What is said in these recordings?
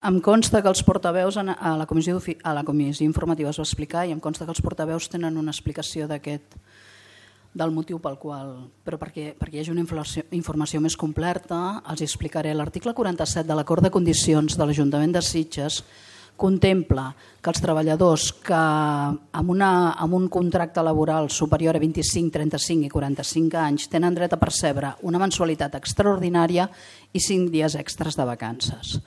Em consta que els portaveus a la comissió informativa es va explicar i em consta que els portaveus tenen una explicació del motiu pel qual, però perquè hi hagi una informació més completa, els explicaré. L'article 47 de l'Acord de Condicions de l'Ajuntament de Sitges contempla que els treballadors que amb un contracte laboral superior a 25, 35 i 45 anys tenen dret a percebre una mensualitat extraordinària i 5 dies extres de vacances.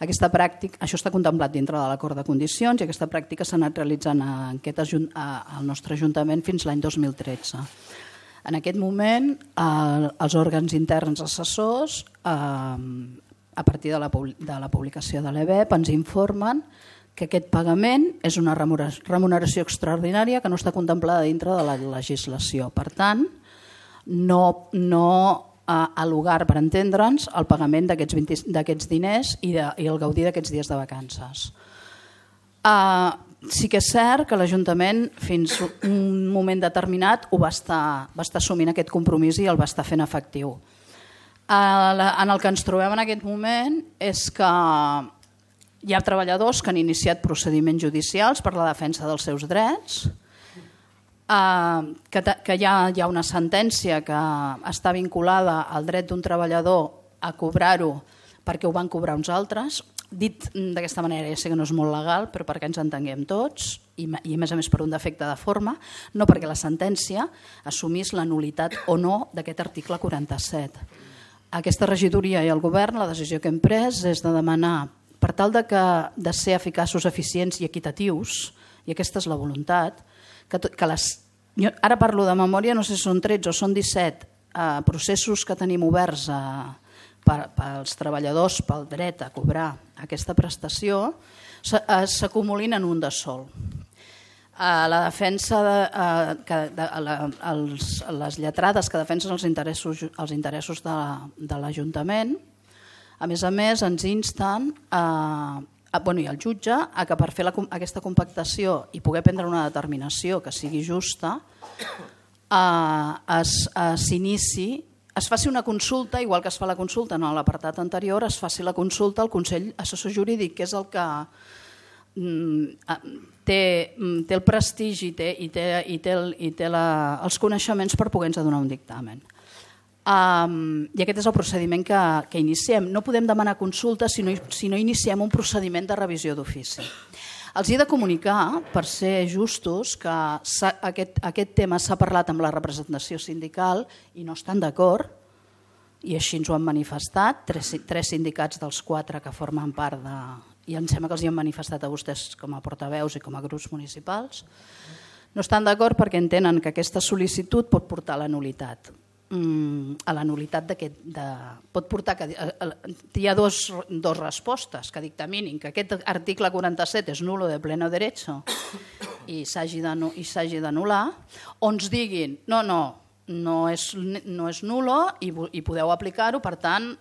Aquesta pràctica, això està contemplat dintre de l'Acord de Condicions i aquesta pràctica s'ha anat realitzant al nostre Ajuntament fins l'any 2013. En aquest moment, els òrgans interns assessors, a partir de la publicació de l'EBEP, ens informen que aquest pagament és una remuneració extraordinària que no està contemplada dintre de la legislació. Per tant, no al lugar, per entendre'ns, el pagament d'aquests diners i el gaudir d'aquests dies de vacances. Sí que és cert que l'Ajuntament fins un moment determinat va estar assumint aquest compromís i el va estar fent efectiu. En el que ens trobem en aquest moment és que hi ha treballadors que han iniciat procediments judicials per la defensa dels seus drets, que hi ha una sentència que està vinculada al dret d'un treballador a cobrar-ho perquè ho van cobrar uns altres. Dit d'aquesta manera, ja sé que no és molt legal, però perquè ens entenguem tots, i a més per un defecte de forma, no perquè la sentència assumís la nul·litat o no d'aquest article 47. Aquesta regidoria i el govern, la decisió que hem pres és de demanar, per tal de ser eficaços, eficients i equitatius, i aquesta és la voluntat, ara parlo de memòria, no sé si són 13 o són 17 processos que tenim oberts pels treballadors pel dret a cobrar aquesta prestació, s'acumulin en un de sol. La defensa, les lletrades que defensen els interessos de l'Ajuntament, a més, ens insten, i el jutge, que per fer aquesta compactació i poder prendre una determinació que sigui justa, es faci una consulta, igual que es fa la consulta en l'apartat anterior, es faci la consulta al Consell Assessor Jurídic, que és el que té el prestigi i té els coneixements per poder-nos donar un dictamen. I aquest és el procediment que iniciem. No podem demanar consulta si no iniciem un procediment de revisió d'ofici. Els he de comunicar, per ser justos, que aquest tema s'ha parlat amb la representació sindical i no estan d'acord, i així ens ho han manifestat, 3 sindicats dels 4 que formen part de... i em sembla que els hi han manifestat a vostès com a portaveus i com a grups municipals. No estan d'acord perquè entenen que aquesta sol·licitud pot portar a la nul·litat. A la nul·litat pot portar que hi ha dos respostes que dictaminin que aquest article 47 és nulo de pleno derecho i s'hagi d'anul·lar, o ens diguin no és nulo i podeu aplicar-ho, per tant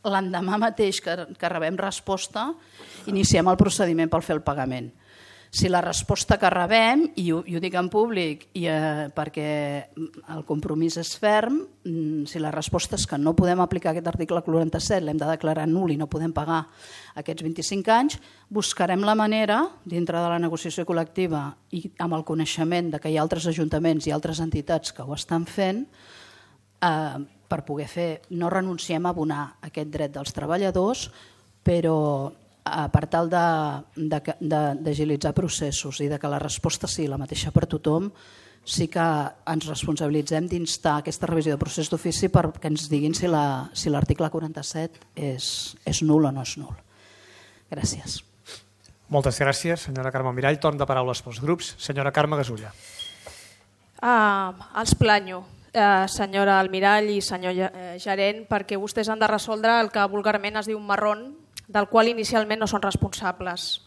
l'endemà mateix que rebem resposta iniciem el procediment per fer el pagament. Si la resposta que rebem, i ho dic en públic perquè el compromís és ferm, si la resposta és que no podem aplicar aquest article 47, l'hem de declarar nul i no podem pagar aquests 25 anys, buscarem la manera, dintre de la negociació col·lectiva i amb el coneixement que hi ha altres ajuntaments i altres entitats que ho estan fent, per poder fer, no renunciem a abonar aquest dret dels treballadors, però per tal d'agilitzar processos i que la resposta sigui la mateixa per tothom, sí que ens responsabilitzem d'instar aquesta revisió de procés d'ofici perquè ens diguin si l'article 47 és nul o no és nul. Gràcies. Moltes gràcies, senyora Carme Mirall. Torn de paraules pels grups. Senyora Carme Gasulla. Els planyo, senyora Almirall i senyor gerent, perquè vostès han de resoldre el que vulgarment es diu un marrón, del qual inicialment no són responsables.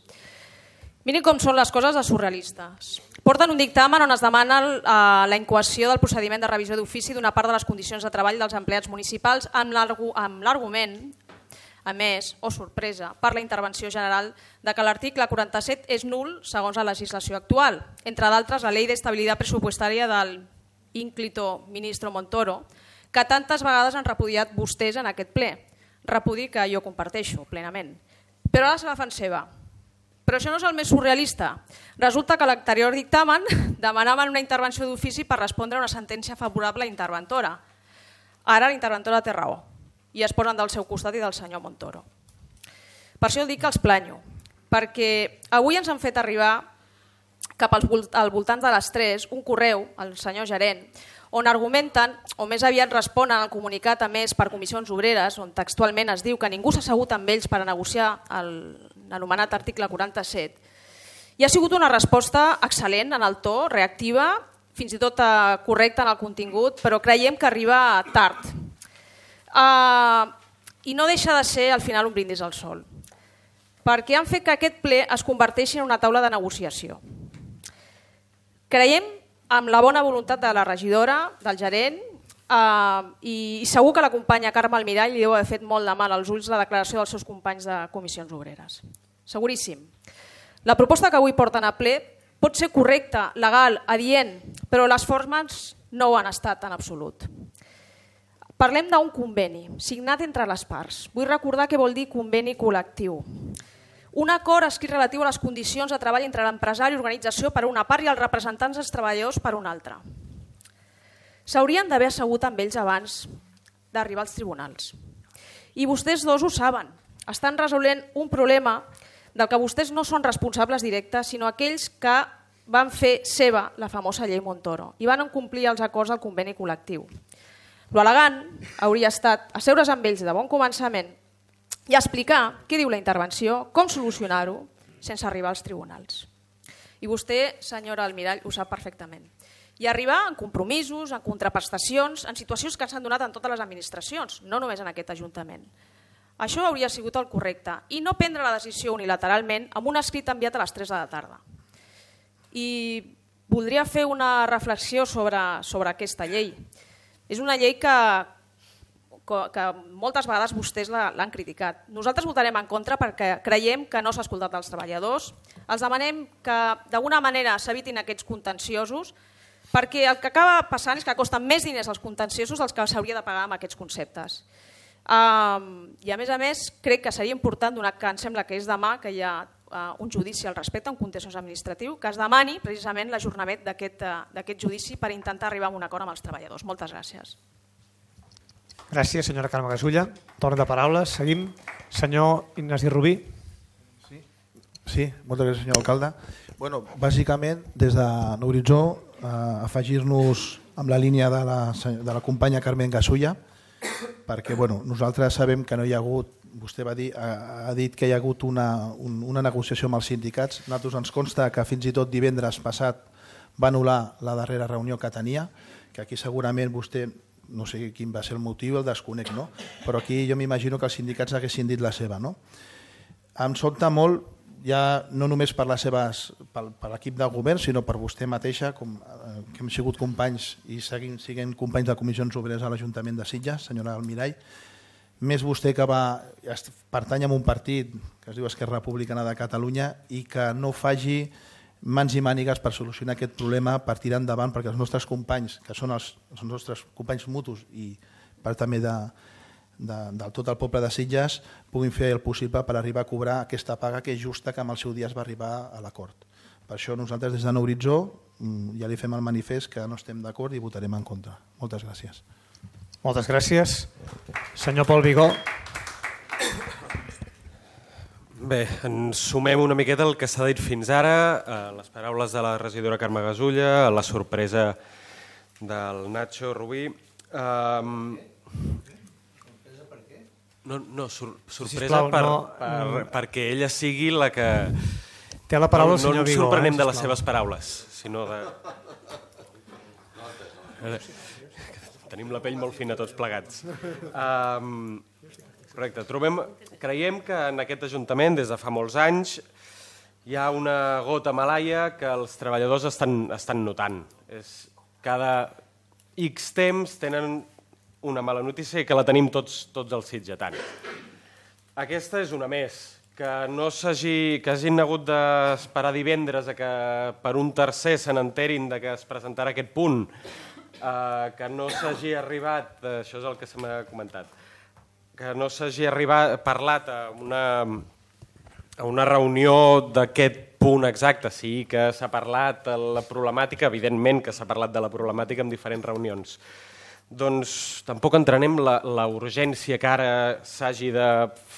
Mirin com són les coses de surrealistes. Porten un dictamen on es demana la incoació del procediment de revisió d'ofici d'una part de les condicions de treball dels empleats municipals amb l'argument, a més, o sorpresa, per la intervenció general de que l'article 47 és nul segons la legislació actual, entre d'altres la Ley de Estabilidad Presupuestaria del ínclito ministro Montoro, que tantes vegades han repudiat vostès en aquest ple. Repudi que jo comparteixo plenament. però ara se la fan seva. Però això no és el més surrealista. Resulta que l'anterior dictamen demanaven una intervenció d'ofici per respondre a una sentència favorable a l'interventora. Ara l'interventora té raó i es posen del seu costat i del senyor Montoro. Per això dic que els planyo, perquè avui ens han fet arribar cap al voltant de les 3 un correu al senyor gerent on argumenten, o més aviat responen al comunicat emès per Comissions Obreres, on textualment es diu que ningú s'ha assegut amb ells per a negociar l'anomenat article 47. I ha sigut una resposta excel·lent en el to, reactiva, fins i tot correcta en el contingut, però creiem que arriba tard. I no deixa de ser al final un brindis al sol, perquè han fet que aquest ple es converteixi en una taula de negociació. Creiem amb la bona voluntat de la regidora, del gerent, i segur que la companya Carme Almirall li deu haver fet molt de mal als ulls la declaració dels seus companys de Comissions Obreres. Seguríssim. La proposta que avui porten a ple pot ser correcta, legal, adient, però les formes no ho han estat en absolut. Parlem d'un conveni signat entre les parts. Vull recordar què vol dir conveni col·lectiu. Un acord escrit relatiu a les condicions de treball entre l'empresari i l'organització per una part i els representants dels treballadors per una altra. S'haurien d'haver assegut amb ells abans d'arribar als tribunals. I vostès dos ho saben. Estan resolent un problema del que vostès no són responsables directes, sinó aquells que van fer seva la famosa llei Montoro i van complir els acords del conveni col·lectiu. L'elegant hauria estat asseure's amb ells de bon començament i explicar què diu la intervenció, com solucionar-ho sense arribar als tribunals. I vostè, senyora Almirall, ho sap perfectament. I arribar en compromisos, en contraprestacions, en situacions que s'han donat en totes les administracions, no només en aquest Ajuntament. Això hauria sigut el correcte i no prendre la decisió unilateralment amb un escrit enviat a les 3 de la tarda. I voldria fer una reflexió sobre aquesta llei. És una llei que moltes vegades vostès l'han criticat. Nosaltres votarem en contra perquè creiem que no s'ha escoltat els treballadors. Els demanem que d'alguna manera s'evitin aquests contenciosos perquè el que acaba passant és que costen més diners els contenciosos dels que s'hauria de pagar amb aquests conceptes. I a més crec que seria important, donat que em sembla que és demà que hi ha un judici al respecte, un contenciós administratiu, que es demani precisament l'ajornament d'aquest judici per intentar arribar a un acord amb els treballadors. Moltes gràcies. Gràcies, senyora Carme Gasulla. Torn de paraules. Seguim. Senyor Ignasi Rubí. Sí, moltes gràcies, senyor alcalde. Bueno, bàsicament, des de l'horitzó, afegir-nos amb la línia de la companya Carmen Gasulla, perquè nosaltres sabem que no hi ha hagut, vostè ha dit que hi ha hagut una negociació amb els sindicats. A nosaltres ens consta que fins i tot divendres passat va anul·lar la darrera reunió que tenia, que aquí segurament vostè, no sé quin va ser el motiu, el desconec, no? Però aquí jo m'imagino que els sindicats haguessin dit la seva. No? Em sobta molt, ja no només per l'equip de govern, sinó per vostè mateixa, que hem sigut companys i seguim sent companys de Comissions Obreres a l'Ajuntament de Sitges, senyora Almirall, més vostè que pertany a un partit que es diu Esquerra Republicana de Catalunya i que no faci mans i mànigues per solucionar aquest problema, per tirar endavant, perquè els nostres companys, que són els nostres companys mutus i part també de tot el poble de Sitges, puguin fer el possible per arribar a cobrar aquesta paga que és justa, que amb el seu dia es va arribar a l'acord. Per això nosaltres des de l'horitzó ja li fem el manifest que no estem d'acord i votarem en contra. Moltes gràcies. Moltes gràcies. Senyor Pol Vigó. Bé, ens sumem una miqueta al que s'ha dit fins ara, a les paraules de la regidora Carme Gasulla, a la sorpresa del Nacho Rubí. Sorpresa perquè ella sigui la que... Té la paraula el senyor Vigó. No ens sorprenem de les seves paraules, sinó de... Tenim la pell molt fina tots plegats. Correcte. Creiem que en aquest Ajuntament, des de fa molts anys, hi ha una gota malaia que els treballadors estan notant. Cada X temps tenen una mala notícia i que la tenim tots els sitgetans. Aquesta és una més, que hagin hagut d'esperar divendres a que per un tercer se n'enterin que es presentarà aquest punt, que no s'hagi arribat, això és el que se m'ha comentat, que no s'hagi parlat a a una reunió d'aquest punt exacte. Sí que s'ha parlat de la problemàtica, evidentment que s'ha parlat de la problemàtica en diferents reunions. Doncs tampoc entenem la urgència que ara s'hagi de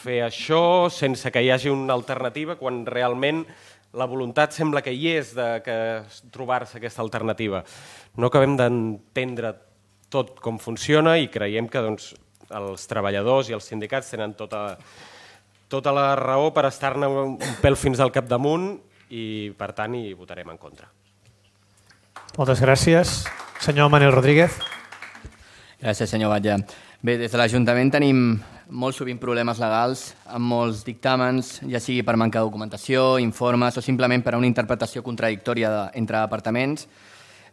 fer això sense que hi hagi una alternativa, quan realment la voluntat sembla que hi és de trobar-se aquesta alternativa. No acabem d'entendre tot com funciona i creiem que els treballadors i els sindicats tenen tota la raó per estar-ne un pèl fins al capdamunt i, per tant, hi votarem en contra. Moltes gràcies. Senyor Manel Rodríguez. Gràcies, senyor Batlle. Bé, des de l'Ajuntament tenim molt sovint problemes legals amb molts dictàmens, ja sigui per manca de documentació, informes o simplement per a una interpretació contradictòria entre departaments,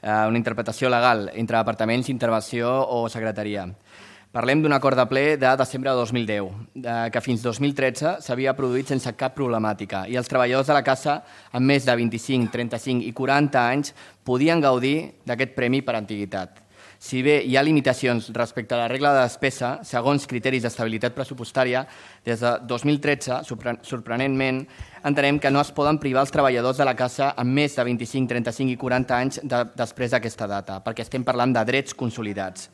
una interpretació legal entre departaments, intervenció o secretaria. Parlem d'un acord de ple de desembre de 2010, que fins 2013 s'havia produït sense cap problemàtica i els treballadors de la casa amb més de 25, 35 i 40 anys podien gaudir d'aquest premi per antiguitat. Si bé hi ha limitacions respecte a la regla de despesa, segons criteris d'estabilitat pressupostària, des de 2013, sorprenentment, entenem que no es poden privar els treballadors de la casa amb més de 25, 35 i 40 anys després d'aquesta data, perquè estem parlant de drets consolidats.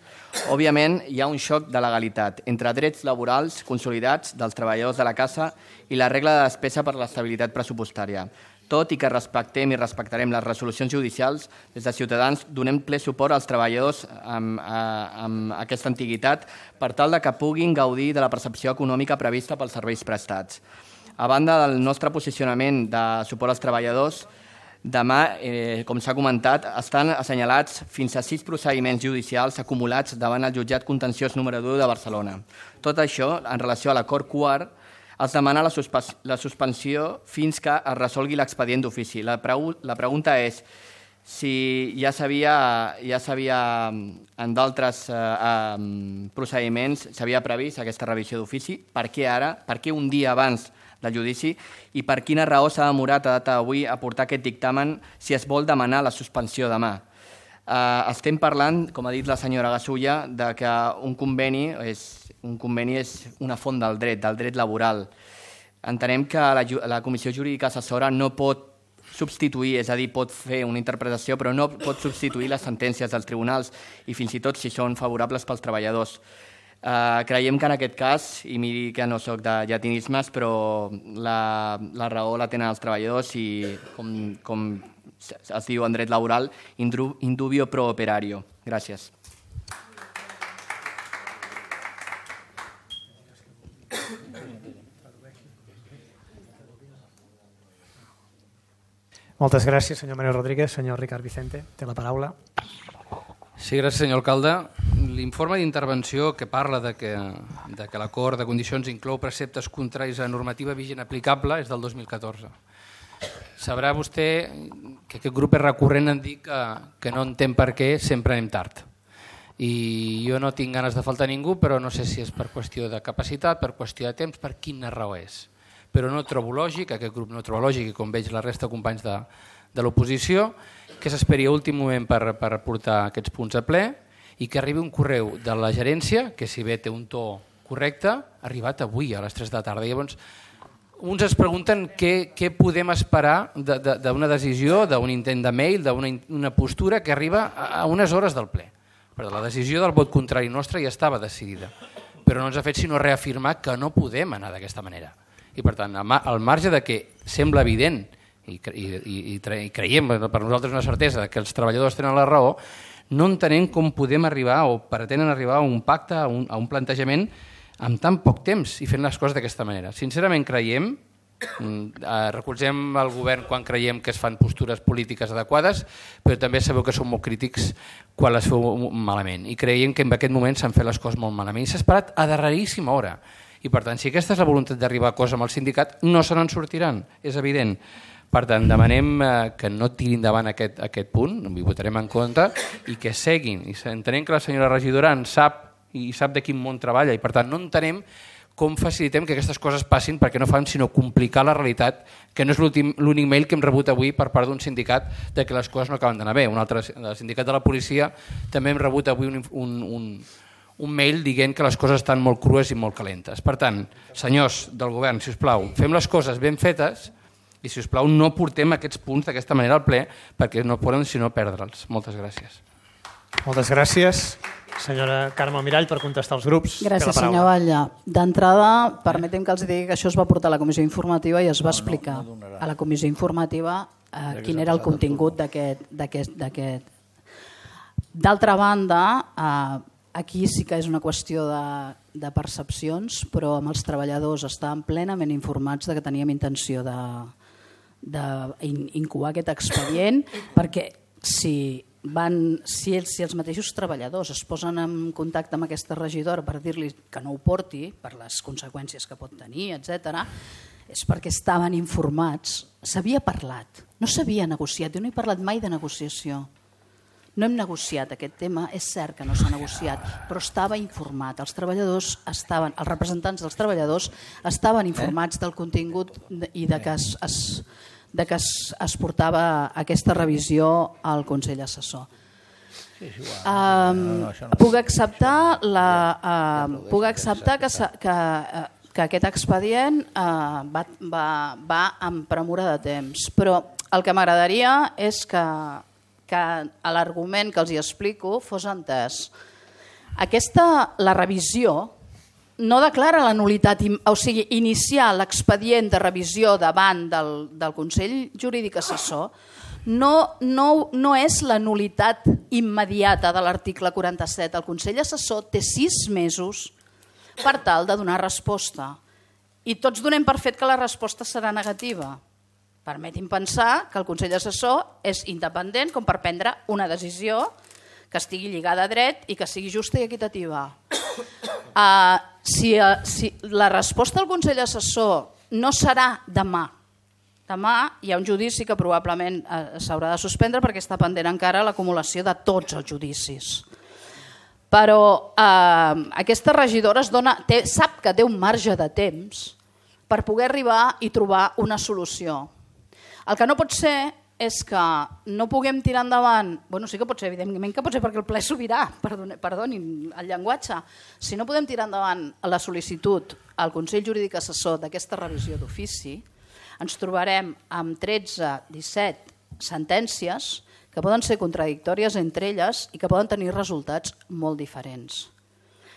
Òbviament, hi ha un xoc de legalitat entre drets laborals consolidats dels treballadors de la casa i la regla de despesa per l'estabilitat pressupostària. Tot i que respectem i respectarem les resolucions judicials, des de Ciutadans donem ple suport als treballadors amb aquesta antiguitat per tal que puguin gaudir de la percepció econòmica prevista pels serveis prestats. A banda del nostre posicionament de suport als treballadors, demà, com s'ha comentat, estan assenyalats fins a 6 procediments judicials acumulats davant el jutjat contenciós número 2 de Barcelona. Tot això, en relació a l'acord quart, es demana la suspensió fins que es resolgui l'expedient d'ofici. La pregunta és si ja s'havia en d'altres procediments s'havia previst aquesta revisió d'ofici, per què ara, per què un dia abans del judici i per quina raó s'ha demorat a data d'avui a portar aquest dictamen si es vol demanar la suspensió demà. Estem parlant, com ha dit la senyora Gasulla, de que un conveni és una font del dret laboral. Entenem que la Comissió Jurídica Assessora no pot substituir, és a dir, pot fer una interpretació, però no pot substituir les sentències dels tribunals i fins i tot si són favorables pels treballadors. Creiem que en aquest cas, i miri que no soc de llatinismes, però la raó la tenen els treballadors i, com es diu en dret laboral, in dubio pro operario. Gràcies. Moltes gràcies, senyor Manel Rodríguez. Senyor Ricard Vicente, té la paraula. Sí, gràcies, senyor alcalde. L'informe d'intervenció que parla de que l'acord de condicions inclou preceptes contraris a la normativa vigent aplicable és del 2014. Sabrà vostè que aquest grup és recurrent en dir que no entén per què sempre anem tard. I jo no tinc ganes de faltar a ningú, però no sé si és per qüestió de capacitat, per qüestió de temps, per quina raó és. Però no trobo lògic, aquest grup no trobo lògic, i com veig la resta de companys de l'oposició, que s'esperi a últim moment per portar aquests punts a ple i que arribi un correu de la gerència, que si bé té un to correcte, ha arribat avui a les 3 de la tarda. Llavors, uns es pregunten què podem esperar d'una decisió, d'un intent de mail, d'una postura que arriba a unes hores del ple. Però la decisió del vot contrari nostre ja estava decidida, però no ens ha fet sinó reafirmar que no podem anar d'aquesta manera. I per tant, al marge de que sembla evident i creiem per nosaltres una certesa que els treballadors tenen la raó, no entenem com podem arribar o pretenen arribar a un pacte, a un plantejament amb tan poc temps i fent les coses d'aquesta manera. Sincerament creiem, recolzem el govern quan creiem que es fan postures polítiques adequades, però també sabeu que som molt crítics quan les feu malament i creiem que en aquest moment s'han fet les coses molt malament i s'ha esperat a darreríssima hora. I per tant, si aquesta és la voluntat d'arribar a coses amb el sindicat, no se n'en sortiran, és evident. Per tant, demanem que no tirin endavant aquest punt, hi votarem en contra, i que seguin. I entenem que la senyora regidora en sap i sap de quin món treballa, i per tant no entenem com facilitem que aquestes coses passin perquè no fan sinó complicar la realitat, que no és l'únic mail que hem rebut avui per part d'un sindicat de que les coses no acaben d'anar bé. Un altre, el sindicat de la policia, també hem rebut avui un mail dient que les coses estan molt crues i molt calentes. Per tant, senyors del govern, si us plau, fem les coses ben fetes i, si us plau, no portem aquests punts d'aquesta manera al ple perquè no podem, sinó, perdre'ls. Moltes gràcies. Moltes gràcies, senyora Carme Almirall, per contestar als grups. Gràcies, senyor Batlle. D'entrada, permetem que els digui que això es va portar a la comissió informativa i es va explicar a la comissió informativa quin era el contingut d'aquest. D'altra banda, aquí sí que és una qüestió de percepcions, però amb els treballadors estaven plenament informats que teníem intenció d'incoar aquest expedient, perquè si els mateixos treballadors es posen en contacte amb aquesta regidora per dir-li que no ho porti, per les conseqüències que pot tenir, etc., és perquè estaven informats. S'havia parlat, no s'havia negociat, jo no he parlat mai de negociació. No hem negociat aquest tema, és cert que no s'ha negociat, però estava informat. Els representants dels treballadors estaven informats del contingut i de que es portava aquesta revisió al Consell Assessor. Puc acceptar que aquest expedient va amb premura de temps, però el que m'agradaria és que l'argument que els hi explico fos entès. La revisió no declara la nul·litat, o sigui, iniciar l'expedient de revisió davant del Consell Jurídic Assessor no és la nul·litat immediata de l'article 47. El Consell Assessor té 6 mesos per tal de donar resposta i tots donem per fet que la resposta serà negativa. Permeti'm pensar que el Consell Assessor és independent com per prendre una decisió que estigui lligada a dret i que sigui justa i equitativa. Si la resposta del Consell Assessor no serà demà hi ha un judici que probablement s'haurà de suspendre perquè està pendent encara l'acumulació de tots els judicis. Però aquesta regidora sap que té un marge de temps per poder arribar i trobar una solució. El que no pot ser és que no puguem tirar endavant, sí que pot ser, evidentment que pot ser perquè el ple sobirà, perdonin el llenguatge, si no podem tirar endavant la sol·licitud al Consell Jurídic Assessor d'aquesta revisió d'ofici, ens trobarem amb 13-17 sentències que poden ser contradictòries entre elles i que poden tenir resultats molt diferents.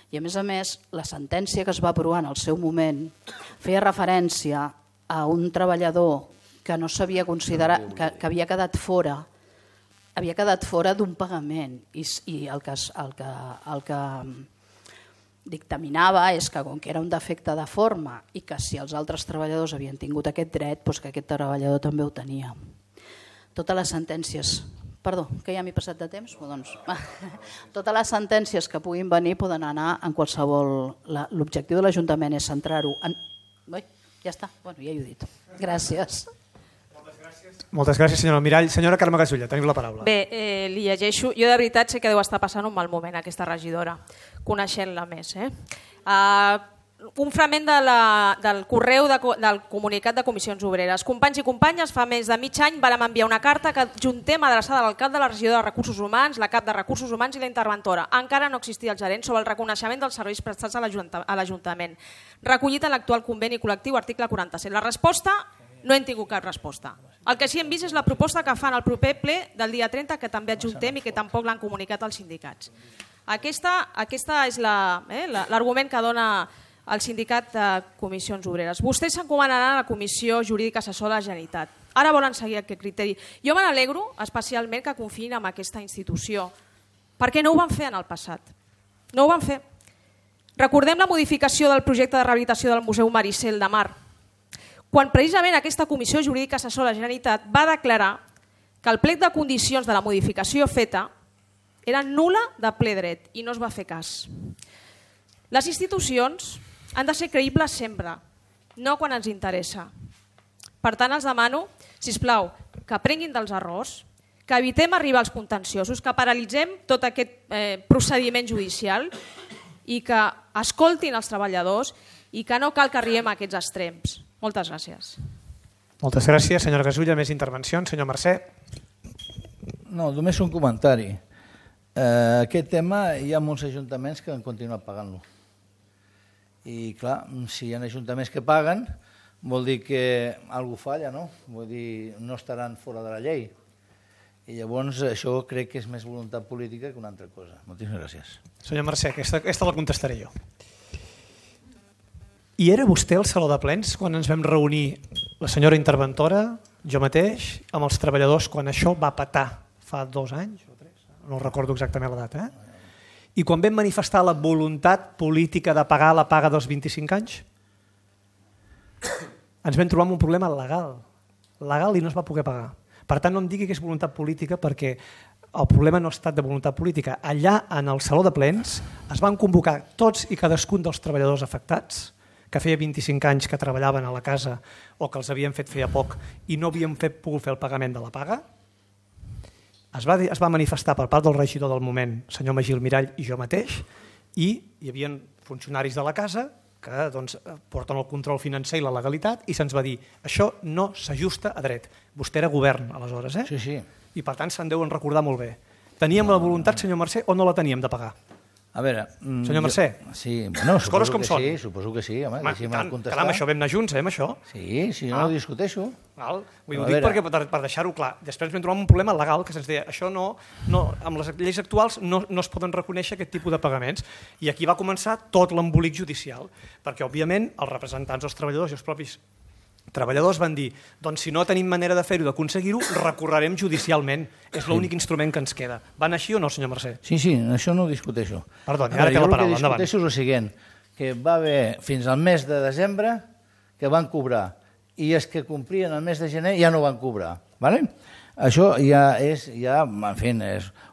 I a més, la sentència que es va aprovar en el seu moment feia referència a un treballador que no s'havia considerat, que havia quedat fora d'un pagament i el que dictaminava és que com que era un defecte de forma i que si els altres treballadors havien tingut aquest dret, doncs que aquest treballador també ho tenia. Totes les sentències, perdó, que ja m'he passat de temps, totes les sentències que puguin venir poden anar en qualsevol... L'objectiu de l'Ajuntament és centrar-ho en... Ja està, ja ho he dit. Gràcies. Moltes gràcies, senyora Almirall. Senyora Carme Gasulla, teniu la paraula. Bé, li llegeixo. Jo de veritat sé que deu estar passant un mal moment aquesta regidora, coneixent-la més. Un fragment del correu del comunicat de Comissions Obreres. Companys i companyes, fa més de mig any vàrem enviar una carta que adjuntem adreçada a l'alcalde, la regidora de Recursos Humans, la cap de Recursos Humans i la interventora. Encara no existia el gerent sobre el reconeixement dels serveis prestats a l'Ajuntament, recollit en l'actual conveni col·lectiu article 47. La resposta... No hem tingut cap resposta. El que sí hem vist és la proposta que fan al proper ple del dia 30, que també adjuntem i que tampoc l'han comunicat als sindicats. Aquesta és l'argument que dona el sindicat de Comissions Obreres. Vostès s'encomanaran a la Comissió Jurídica Assessora de la Generalitat. Ara volen seguir aquest criteri. Jo me n'alegro especialment que confiïn en aquesta institució, perquè no ho van fer en el passat. No ho van fer. Recordem la modificació del projecte de rehabilitació del Museu Maricel de Mar, quan precisament aquesta Comissió Jurídica Assessora de la Generalitat va declarar que el plec de condicions de la modificació feta era nul·la de ple dret i no es va fer cas. Les institucions han de ser creïbles sempre, no quan ens interessa. Per tant, els demano, sisplau, que aprenguin dels errors, que evitem arribar als contenciosos, que paralitzem tot aquest procediment judicial i que escoltin els treballadors i que no cal que arribem a aquests extrems. Moltes gràcies. Moltes gràcies, senyora Gasulla. Més intervencions. Senyor Mercè. No, només un comentari. Aquest tema hi ha molts ajuntaments que han continuat pagant-lo. I clar, si hi ha ajuntaments que paguen, vol dir que alguna cosa falla, no? Vull dir, no estaran fora de la llei. I llavors això crec que és més voluntat política que una altra cosa. Moltíssimes gràcies. Senyor Mercè, aquesta la contestaré jo. I era vostè al Saló de Plens quan ens vam reunir la senyora interventora, jo mateix, amb els treballadors, quan això va petar fa 2 anys o 3, no recordo exactament la data, I quan vam manifestar la voluntat política de pagar la paga dels 25 anys, ens vam trobar amb un problema legal i no es va poder pagar. Per tant, no em digui que és voluntat política, perquè el problema no ha estat de voluntat política. Allà, en el Saló de Plens, es van convocar tots i cadascun dels treballadors afectats, que feia 25 anys que treballaven a la casa o que els havien fet feia poc i no havien pogut fer el pagament de la paga. Es va manifestar per part del regidor del moment, senyor Magí Almirall i jo mateix, i hi havia funcionaris de la casa que porten el control financer i la legalitat i se'ns va dir això no s'ajusta a dret. Vostè era govern aleshores, Sí. I per tant se'n deuen recordar molt bé. Teníem la voluntat, senyor Mercè, o no la teníem de pagar? A veure... Senyor Mercè, sí, bueno, les coses com són. Sí, suposo que sí, home, deixi'm contestar. Caram, això vam anar junts, amb això. Sí, no ho discuteixo. Ho dic perquè, per deixar-ho clar, després vam trobar un problema legal que se'ns deia això no, amb les lleis actuals no es poden reconèixer aquest tipus de pagaments. I aquí va començar tot l'embolic judicial, perquè, òbviament, els representants dels treballadors i els propis treballadors van dir, doncs si no tenim manera de fer-ho, d'aconseguir-ho, recorrerem judicialment. És l'únic instrument que ens queda. Van així o no, senyor Mercè? Sí, això no ho discuteixo. Perdoni, ara té la paraula, endavant. Jo el que discuteixo és el següent, que va haver fins al mes de desembre que van cobrar, i els que complien el mes de gener ja no van cobrar. Això ja és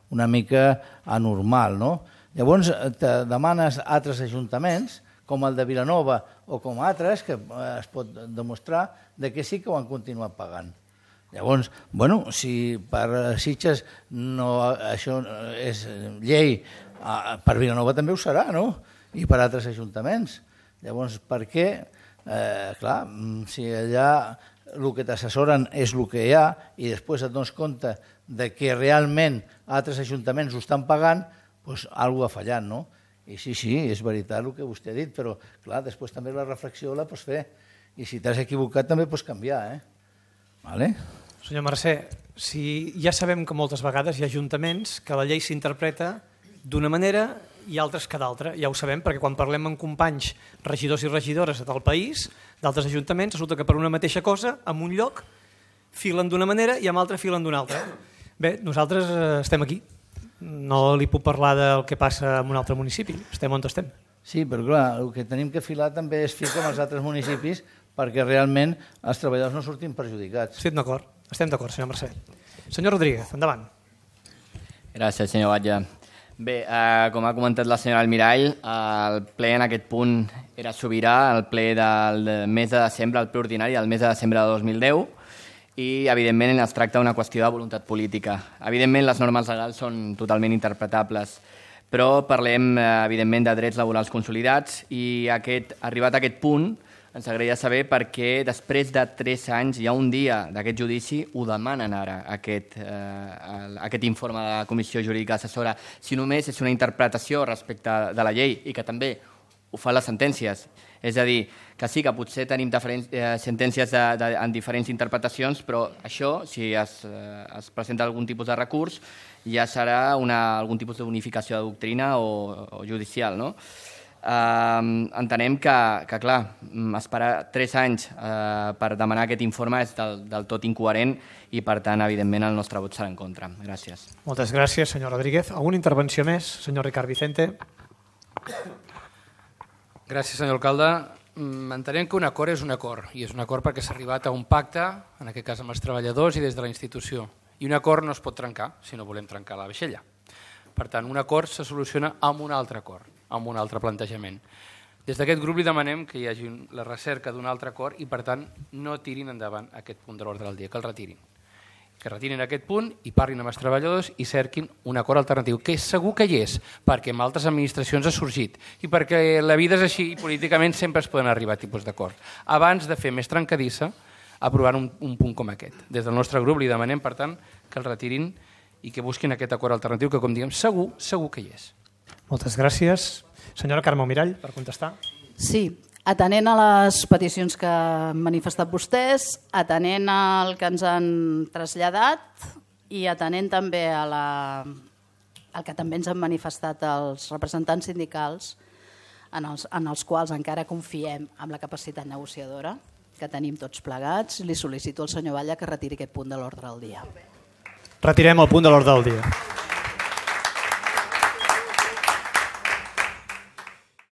una mica anormal, no? Llavors te demanes a altres ajuntaments, com el de Vilanova o com altres, que es pot demostrar que sí que ho han continuat pagant. Llavors, si per Sitges això és llei, per Vilanova també ho serà, no? I per altres ajuntaments. Llavors, per què? Clar, si allà el que t'assessoren és el que hi ha i després et dones compte que realment altres ajuntaments ho estan pagant, doncs alguna cosa ha fallat, no? I sí, és veritat el que vostè ha dit, però clar, després també la reflexió la pots fer. I si t'has equivocat també pots canviar. Senyor Mercè, ja sabem que moltes vegades hi ha ajuntaments que la llei s'interpreta d'una manera i altres que d'altra. Ja ho sabem perquè quan parlem amb companys regidors i regidores del país, d'altres ajuntaments, resulta que per una mateixa cosa, en un lloc, filen d'una manera i en altre filen d'una altra. Bé, nosaltres estem aquí. No li puc parlar del que passa en un altre municipi, estem on estem. Sí, però clar, el que tenim que filar també és ficar amb els altres municipis perquè realment els treballadors no surtin perjudicats. Estem d'acord, senyor Mercè. Senyor Rodríguez, endavant. Gràcies, senyor Batlle. Bé, com ha comentat la senyora Almirall, el ple en aquest punt era sobirà, el ple del mes de desembre, el ple ordinari del mes de desembre de 2010, i, evidentment, es tracta d'una qüestió de voluntat política. Evidentment, les normes legals són totalment interpretables, però parlem, evidentment, de drets laborals consolidats i arribat a aquest punt ens agradaria saber per què després de 3 anys, ja un dia d'aquest judici, ho demanen ara, aquest informe de la Comissió Jurídica Assessora, si només és una interpretació respecte de la llei i que també ho fan les sentències. És a dir, que sí que potser tenim sentències en diferents interpretacions, però això, si es presenta algun tipus de recurs, ja serà algun tipus de bonificació de doctrina o judicial, no? Entenem que, clar, esperar 3 anys per demanar aquest informe és del tot incoherent i, per tant, evidentment, el nostre vot serà en contra. Gràcies. Moltes gràcies, senyor Rodríguez. Alguna intervenció més, senyor Ricard Vicente? Gràcies, senyor alcalde. Entenem que un acord és un acord, i és un acord perquè s'ha arribat a un pacte, en aquest cas amb els treballadors i des de la institució. I un acord no es pot trencar si no volem trencar la vaixella. Per tant, un acord se soluciona amb un altre acord, amb un altre plantejament. Des d'aquest grup li demanem que hi hagi la recerca d'un altre acord i, per tant, no tirin endavant aquest punt de l'ordre del dia, que el retirin. Que retirin aquest punt i parlin amb els treballadors i cerquin un acord alternatiu, que segur que hi és, perquè en altres administracions ha sorgit i perquè la vida és així i políticament sempre es poden arribar a tipus d'acord. Abans de fer més trencadissa, aprovant un punt com aquest. Des del nostre grup li demanem, per tant, que el retirin i que busquin aquest acord alternatiu que, com diguem, segur que hi és. Moltes gràcies. Senyora Carme Almirall, per contestar. Sí, atenent a les peticions que han manifestat vostès, atenent al que ens han traslladat i atenent també al que també ens han manifestat els representants sindicals, en els quals encara confiem en la capacitat negociadora que tenim tots plegats, li sol·licito al senyor Batlle que retiri aquest punt de l'ordre del dia. Retirem el punt de l'ordre del dia.